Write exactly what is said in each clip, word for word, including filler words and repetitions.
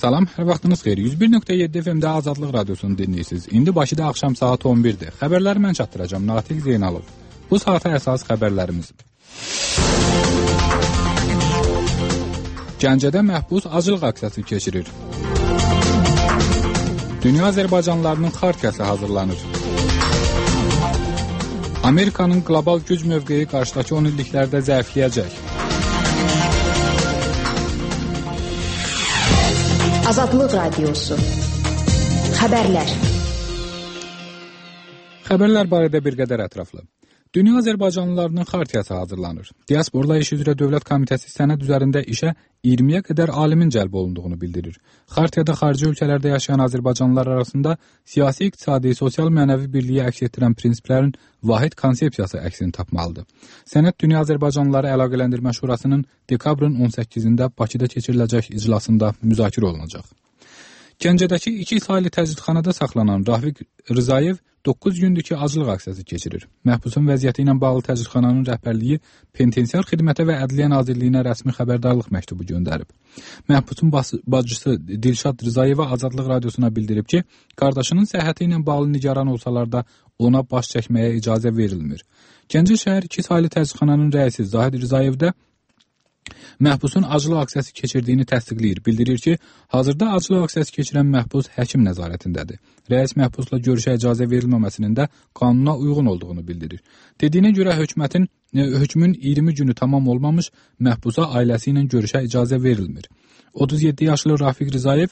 Salam, hər vaxtınız xeyir. yüz bir nöqtə yeddi F M-də Azadlıq Radiosunu dinləyirsiniz. İndi Bakıda axşam saat on birdir. Xəbərləri mən çatdıracağım, Natiq Zeynalov. Bu saata əsas xəbərlərimiz. Gəncədə məhbus acılıq aksiyası keçirir. Dünya Azərbaycanlılarının xartiyası hazırlanır. Amerikanın qlobal güc mövqeyi qarşıdakı on illiklərdə zəifləyəcək. Azadlıq Radiosu. Xəbərlər. Xəbərlər barədə bir qədər ətraflı. Dünya Azərbaycanlılarının xartiyası hazırlanır. Diasporla İş üzrə Dövlət Komitəsi sənəd üzərində işə iyirmiyə qədər alimin cəlb olunduğunu bildirir. Xartiyada xarici ölkələrdə yaşayan Azərbaycanlılar arasında siyasi, iqtisadi, sosial, mənəvi birliyi əks etdirən prinsiplərin vahid konsepsiyası əksini tapmalıdır. Sənəd Dünya Azərbaycanlıları Əlaqələndirmə Şurasının dekabrın on səkkizində Bakıda keçiriləcək iclasında müzakirə olunacaq. Gəncədəki iki saylı təcridxanada saxlanan Rafiq Rzayev doqquz gündür ki, acılıq aksiyası keçirir. Məhbusun vəziyyəti ilə bağlı təcridxananın rəhbərliyi Penitensiar Xidmətə və Ədliyyə Nazirliyinə rəsmi xəbərdarlıq məktubu göndərib. Məhbusun bacısı Dilşad Rzayeva Azadlıq Radiosuna bildirib ki, qardaşının səhhəti ilə bağlı nigaran olsalar da ona baş çəkməyə icazə verilmir. Gəncə şəhər iki saylı təcridxananın rəisi Zahid Rzayev də məhbusun acılıq aksiyası keçirdiyini təsdiqləyir. Bildirir ki, hazırda acılıq aksiyası keçirən məhbus həkim nəzarətindədir. Rəis məhbusla görüşə icazə verilməməsinin də qanuna uyğun olduğunu bildirir. Dediyinə görə hökumətin hökmün iyirmi günü tamam olmamış məhbusa ailəsi ilə görüşə icazə verilmir. otuz yeddi yaşlı Rafiq Rzayev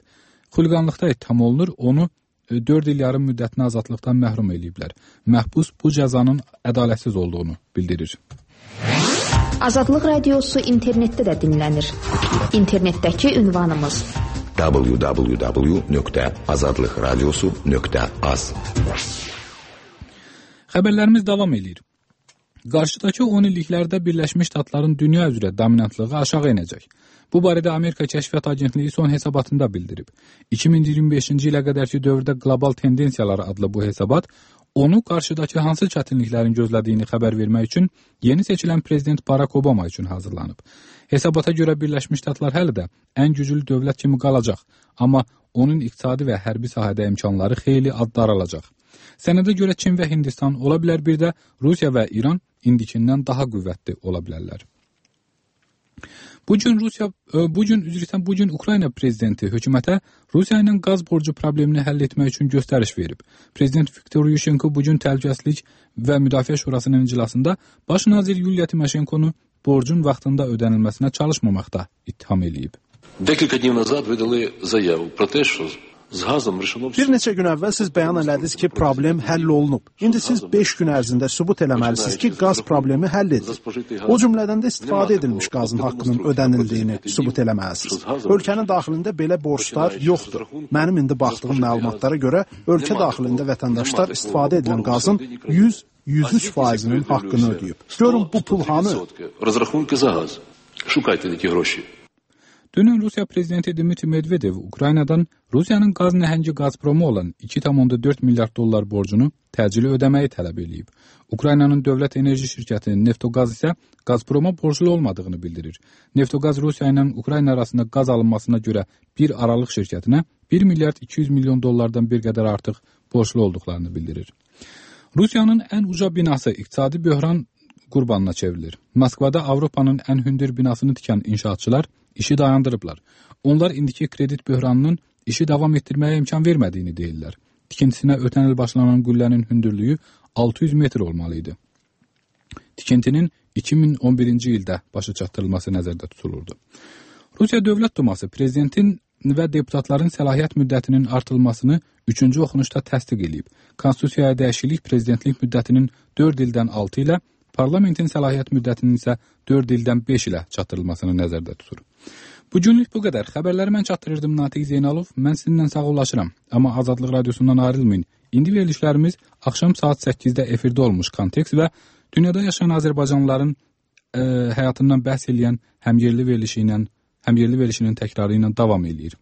xuliqanlıqda ittiham olunur, onu dörd il yarım müddətinə azadlıqdan məhrum eləyiblər. Məhbus bu cəzanın ədalətsiz olduğunu bildirir. Azadlıq Radiosu internetdə də dinlənir. İnternetdəki ünvanımız w w w nöqtə azadlıq radiosu nöqtə az. Xəbərlərimiz davam edir. Qarşıdakı on illiklərdə Birləşmiş Ştatların dünya üzrə dominantlığı aşağı enəcək. Bu barədə Amerika Kəşfiyyat Agentliyi son hesabatında bildirib. iki min iyirmi beşinci ilə qədərki dövrdə qlobal tendensiyalar adlı bu hesabat onu qarşıdakı hansı çətinliklərin gözlədiyini xəbər vermək üçün yeni seçilən prezident Barack Obama üçün hazırlanıb. Hesabata görə Birləşmiş Ştatlar hələ də ən güclü dövlət kimi qalacaq, amma onun iqtisadi və hərbi sahədə imkanları xeyli daralacaq. Sənədə görə Çin və Hindistan, ola bilər bir də Rusiya və İran indikindən daha qüvvətli ola bilərlər. Bu gün Rusiya bu gün üzrə bu gün Ukrayna prezidenti hökumətə Rusiya ilə qaz borcu problemini həll etmək üçün göstəriş verib. Prezident Viktor Yushchenko bu gün Təhlükəsizlik və Müdafiə Şurasının iclasında baş nazir Yuliya Timoşenkonu borcun vaxtında ödənilməsinə çalışmamaqda ittiham eləyib. Декілька днів назад видали заяву про те, що з газом решено Bir neçə gün əvvəl siz bəyan elədiniz ki, problem həll olunub. İndi siz beş gün ərzində sübut eləməlisiniz ki, qaz problemi həll edilir. O cümlədən də istifadə edilmiş qazın haqqının ödənildiyini sübut eləməlisiniz. Ölkənin daxilində belə borclar yoxdur. Mənim indi baxdığım məlumatlara görə ölkə daxilində vətəndaşlar istifadə edilən qazın yüz yüz üç faizinin haqqını ödəyib. Görün bu pul hanı? Розрахунки за газ. Шукайте такі гроші. Dünən Rusiya prezidenti Dmitri Medvedev Ukraynadan Rusiyanın qaz nəhəngi Gazpromu olan iki tam dörd milyard dollar borcunu təcili ödəməyi tələb edib. Ukraynanın dövlət enerji şirkəti Neftogaz isə Gazproma borclu olmadığını bildirir. Neftogaz Rusiya ilə Ukrayna arasında qaz alınmasına görə bir aralıq şirkətinə bir milyard iki yüz milyon dollardan bir qədər artıq borclu olduqlarını bildirir. Rusiyanın ən uca binası iqtisadi böhran qurbanına çevrilir. Moskvada Avropanın ən hündür binasını tikən inşaatçılar işi dayandırıblar. Onlar indiki kredit böhranının işi davam etdirməyə imkan vermədiyini deyirlər. Tikintisinə ötən il başlanan qüllənin hündürlüyü altı yüz metr olmalı idi. Tikintinin iki min on birinci ildə başa çatdırılması nəzərdə tutulurdu. Rusiya Dövlət Duması prezidentin və deputatların səlahiyyət müddətinin artırılmasını üçüncü oxunuşda təsdiq edib. Konstitusiyaya dəyişiklik prezidentlik müddətinin dörd ildən altı ilə, parlamentin səlahiyyət müddətinin isə dörd ildən beş ilə çatdırılmasını nəzərdə tutur. Bu günlük bu qədər. Xəbərləri mən çatdırırdım, Natiq Zeynalov. Mən sizinlə sağollaşıram. Amma Azadlıq Radiosundan ayrılmayın. İndi verilişlərimiz axşam saat səkkizdə efirdə olmuş Kontekst və dünyada yaşayan Azərbaycanlıların e, həyatından bəhs eləyən həmyerli verilişi ilə, həmyerli verilişinin təkrarı ilə davam eləyir.